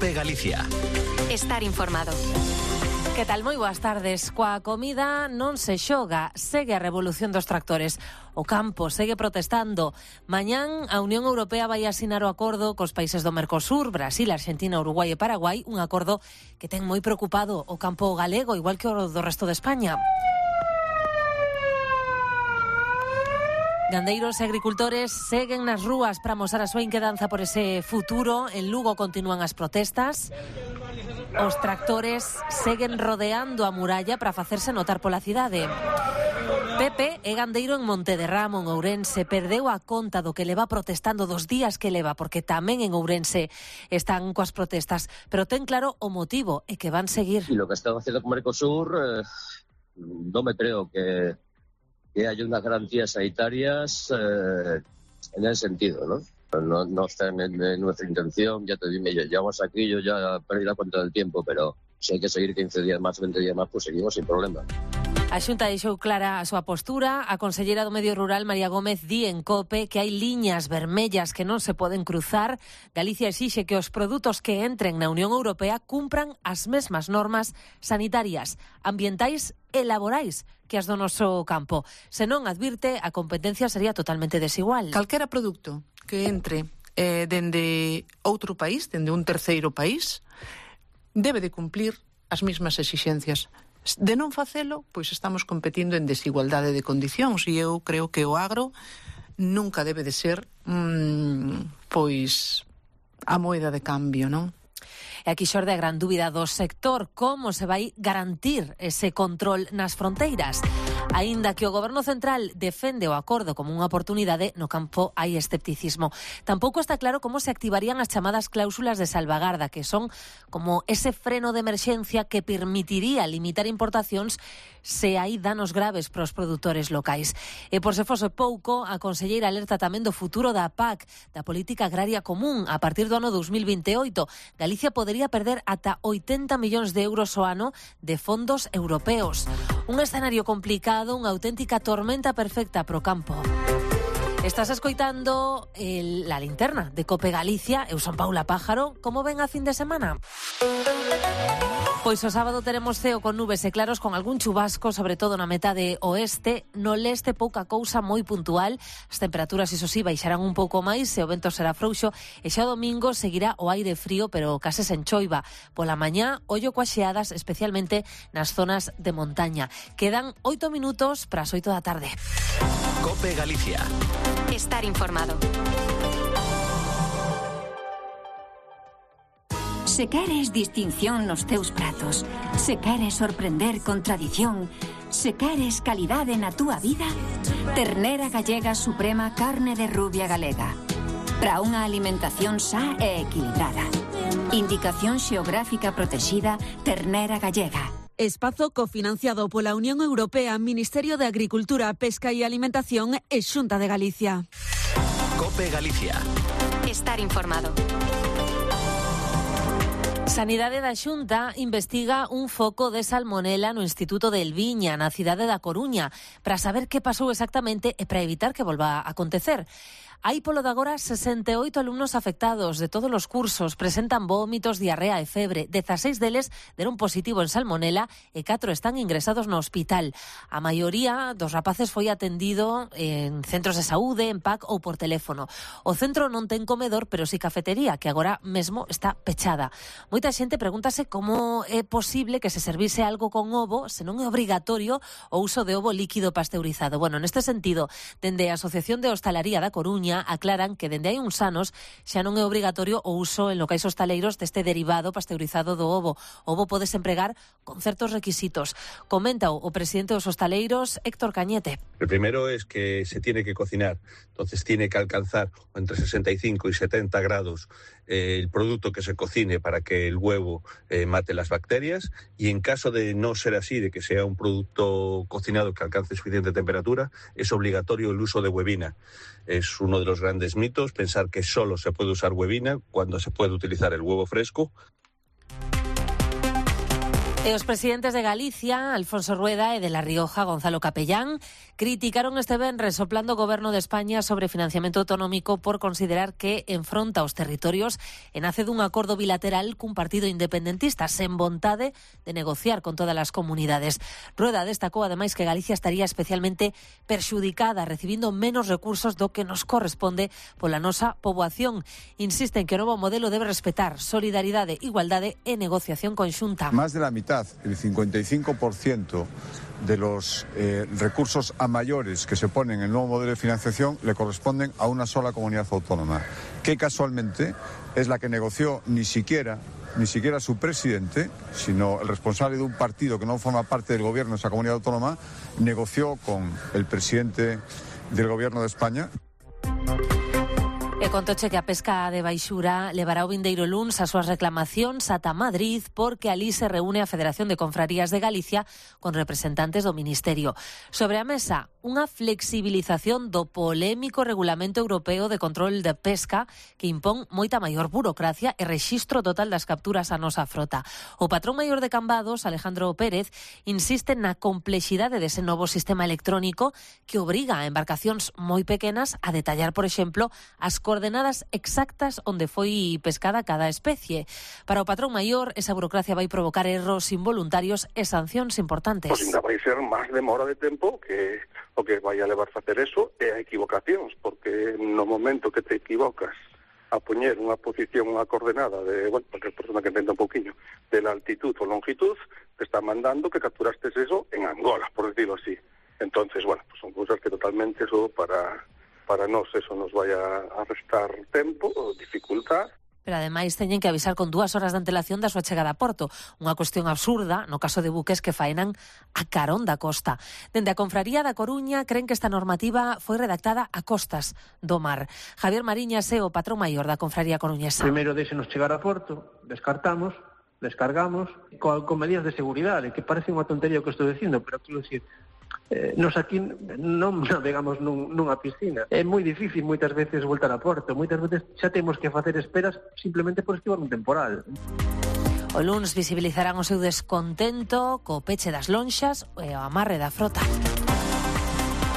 COPE Galicia. Estar informado. Que tal? Moi boas tardes. Coa comida non se xoga, segue a revolución dos tractores. O campo segue protestando. Mañán a Unión Europea vai asinar o acordo cos países do Mercosur, Brasil, Argentina, Uruguai e Paraguai, un acordo que ten moi preocupado o campo galego, igual que o do resto de España. Gandeiros e agricultores seguen nas rúas para mostrar a súa inquedanza por ese futuro. En Lugo continúan as protestas. Os tractores seguen rodeando a muralla para facerse notar pola cidade. Pepe é gandeiro en Montederramo, en Ourense. Perdeu a conta do que leva protestando, dos días que leva, porque tamén en Ourense están coas protestas. Pero ten claro o motivo, e que van seguir. Y lo que están haciendo con Mercosur, no me creo que haya unas garantías sanitarias en ese sentido, ¿no? No está en nuestra intención, ya te digo, llevamos aquí, yo ya perdí la cuenta del tiempo, pero si hay que seguir 15 días más, 20 días más, pues seguimos sin problema. A Xunta deixou clara a súa postura. A conselleira do Medio Rural, María Gómez, di en COPE que hai liñas vermellas que non se poden cruzar. Galicia exixe que os produtos que entren na Unión Europea cumpran as mesmas normas sanitarias, ambientais e laborais que as do noso campo. Se non, advirte, a competencia sería totalmente desigual. Calquera produto que entre dende outro país, dende un terceiro país, debe de cumplir as mesmas exixencias. De non facelo, pois estamos competindo en desigualdade de condicións, e eu creo que o agro nunca debe de ser pois a moeda de cambio, non? E aquí xorde a gran dúbida do sector, como se vai garantir ese control nas fronteiras. Aínda que o Goberno Central defende o acordo como unha oportunidade, no campo hai escepticismo. Tampouco está claro como se activarían as chamadas cláusulas de salvagarda, que son como ese freno de emerxencia que permitiría limitar importacións se hai danos graves para os produtores locais. E por se fose pouco, a conselleira alerta tamén do futuro da PAC, da Política Agraria Común. A partir do ano 2028, Galicia podería perder ata 80 millóns de euros ao ano de fondos europeos. Un escenario complicado, unha auténtica tormenta perfecta pro campo. Estás escoitando la linterna de COPE Galicia. Eu son Paula Pájaro. Como ven a fin de semana? Pois o sábado teremos ceo con nubes e claros, con algún chubasco, sobre todo na metade oeste. No leste, pouca cousa, moi puntual. As temperaturas, iso sí, baixarán un pouco máis e o vento será frouxo. E xa o domingo seguirá o aire frío, pero case sen choiva. Pola mañá, ollo coas xeadas, especialmente nas zonas de montaña. Quedan 8 minutos para as 8 da tarde. COPE Galicia. Estar informado. Se queres distinción nos teus pratos, se queres sorprender con tradición, se queres calidade na túa vida, Ternera Gallega Suprema Carne de Rubia Galega. Para unha alimentación sa e equilibrada. Indicación xeográfica protexida Ternera Gallega. Espazo cofinanciado pola Unión Europea, Ministerio de Agricultura, Pesca e Alimentación e Xunta de Galicia. COPE Galicia. Estar informado. Sanidade da Xunta investiga un foco de salmonela no Instituto de Elviña, na cidade da Coruña, para saber que pasou exactamente e para evitar que volva a acontecer. Hai polo de agora 68 alumnos afectados de todos os cursos, presentan vómitos, diarrea e febre. 16 deles deron positivo en salmonela e 4 están ingresados no hospital. A maioría dos rapaces foi atendido en centros de saúde, en PAC ou por teléfono. O centro non ten comedor, pero sí cafetería, que agora mesmo está pechada. Moita xente pregúntase como é posible que se servise algo con ovo se non é obrigatorio o uso de ovo líquido pasteurizado. Bueno, neste sentido, dende a Asociación de Hostalaría da Coruña aclaran que dende hai uns anos xa non é obrigatorio o uso en locais hostaleiros deste derivado pasteurizado do ovo. O ovo podes empregar con certos requisitos. Comenta o presidente dos hostaleiros, Héctor Cañete. El primero es que se tiene que cocinar, entonces tiene que alcanzar entre 65 y 70 grados el producto que se cocine para que el huevo mate las bacterias, y en caso de no ser así, de que sea un producto cocinado que alcance suficiente temperatura, es obligatorio el uso de huevina. Es uno de los grandes mitos pensar que solo se puede usar huevina cuando se puede utilizar el huevo fresco. E os presidentes de Galicia, Alfonso Rueda, e de La Rioja, Gonzalo Capellán, criticaron este venres o plan do Goberno de España sobre financiamento autonómico por considerar que enfronta os territorios e nace dun acordo bilateral cun partido independentista sen vontade de negociar con todas as comunidades. Rueda destacou ademais que Galicia estaría especialmente perxudicada, recibindo menos recursos do que nos corresponde pola nosa poboación. Insisten que o novo modelo debe respetar solidaridade, igualdade e negociación conxunta. Más de la mitad, el 55% de los recursos a mayores que se ponen en el nuevo modelo de financiación le corresponden a una sola comunidad autónoma, que casualmente es la que negoció ni siquiera su presidente, sino el responsable de un partido que no forma parte del gobierno de esa comunidad autónoma, negoció con el presidente del gobierno de España. E contoche que a pesca de baixura levará o vindeiro luns as súas reclamacións ata Madrid, porque alí se reúne a Federación de Confrarías de Galicia con representantes do Ministerio. Sobre a mesa, unha flexibilización do polémico Regulamento Europeo de Control de Pesca que impón moita maior burocracia e rexistro total das capturas a nosa frota. O patrón maior de Cambados, Alejandro Pérez, insiste na complexidade dese novo sistema electrónico que obriga a embarcacións moi pequenas a detallar, por exemplo, as coordenadas exactas onde foi pescada cada especie. Para o patrón maior, esa burocracia vai provocar erros involuntarios e sancións importantes. Pois ainda vai ser máis demora de tempo que o que vai a levar facer eso é a equivocacións, porque no momento que te equivocas a poñer unha posición, unha coordenada de, porque a persona que entenda un pouquiño de la altitud ou longitud, te está mandando que capturastes eso en Angola, por decirlo así. Entonces, pues son cousas que totalmente eso para nós eso nos vai a restar tempo, dificultad. Pero ademais teñen que avisar con 2 horas de antelación da súa chegada a Porto, unha cuestión absurda no caso de buques que faenan a carón da costa. Dende a Confraría da Coruña creen que esta normativa foi redactada a costas do mar. Javier Mariñas é o patrón maior da Confraría coruñesa. Primeiro deixenos chegar a Porto, descartamos, descargamos, con medidas de seguridade, que parece unha tontería o que estou dicindo, pero quero dicir, nos aquí non navegamos nunha piscina. É moi difícil moitas veces voltar a Porto. Moitas veces xa temos que facer esperas simplemente por esquivar un temporal. O luns visibilizarán o seu descontento co peche das lonxas e o amarre da frota.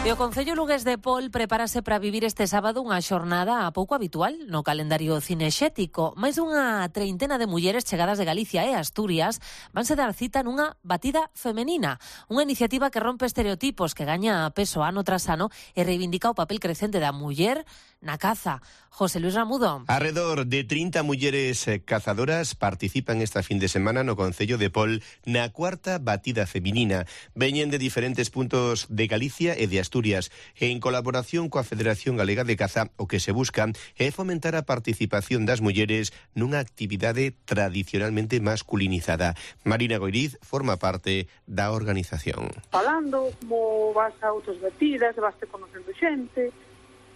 E o Concello lugués de Pol prepárase para vivir este sábado unha xornada pouco habitual no calendario cinexético. Máis dunha treintena de mulleres chegadas de Galicia e Asturias vanse dar cita nunha batida femenina, unha iniciativa que rompe estereotipos, que gaña peso ano tras ano e reivindica o papel crecente da muller na caza. José Luis Ramudo. Arredor de 30 mulleres cazadoras participan esta fin de semana no Concello de Pol na cuarta batida feminina. Veñen de diferentes puntos de Galicia e de Asturias. En colaboración coa Federación Galega de Caza, o que se busca é fomentar a participación das mulleres nunha actividade tradicionalmente masculinizada. Marina Goiriz forma parte da organización. Falando como vas a outras batidas, vas conocendo xente.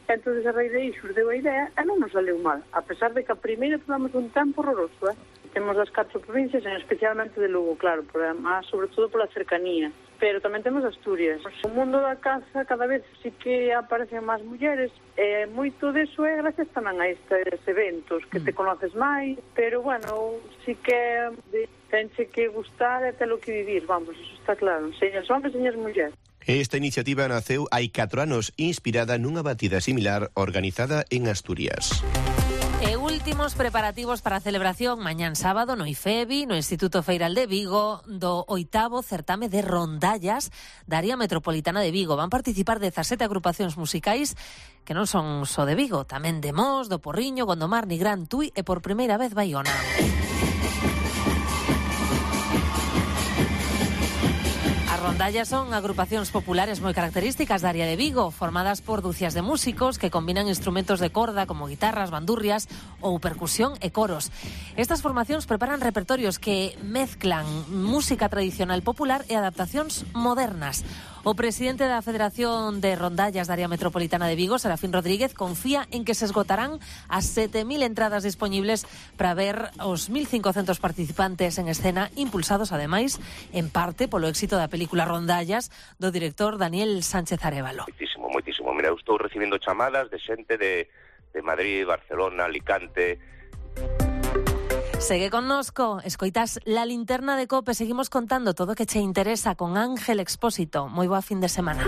Entonces a raíz de aí xurdeu a idea e non nos saleu mal, a pesar de que a primeira tivemos un tempo horroroso. Temos as 4 provincias, especialmente de Lugo, claro, sobre todo pola cercanía, pero tamén temos Asturias. O mundo da caza cada vez sí que aparecen máis mulleres, e moito deso é gracias tamén a estes eventos, que te conoces máis, pero sí que tenche que gustar e telo que vivir, eso está claro, señas hombres, señas mulleres. Esta iniciativa naceu hai 4 anos, inspirada nunha batida similar organizada en Asturias. E últimos preparativos para a celebración mañán sábado no IFEBI, no Instituto Feiral de Vigo, do 8º certame de rondallas da área metropolitana de Vigo. Van participar 17 agrupacións musicais que non son só de Vigo, tamén de Mos, do Porriño, Gondomar, Nigrán, Tui e por primeira vez Baiona. Rondallas son agrupacións populares moi características da área de Vigo, formadas por dúcias de músicos que combinan instrumentos de corda como guitarras, bandurrias ou percusión e coros. Estas formacións preparan repertorios que mezclan música tradicional popular e adaptacións modernas. O presidente da Federación de Rondallas da área metropolitana de Vigo, Serafín Rodríguez, confía en que se esgotarán as 7.000 entradas disponibles para ver os 1.500 participantes en escena, impulsados, ademais, en parte polo éxito da película Rondallas do director Daniel Sánchez Arévalo. Moitísimo. Mira, eu estou recibindo chamadas de xente de Madrid, Barcelona, Alicante. Segue connosco, escoitas La Linterna de Cope, seguimos contando todo o que che interesa con Ángel Expósito. Moi boa fin de semana.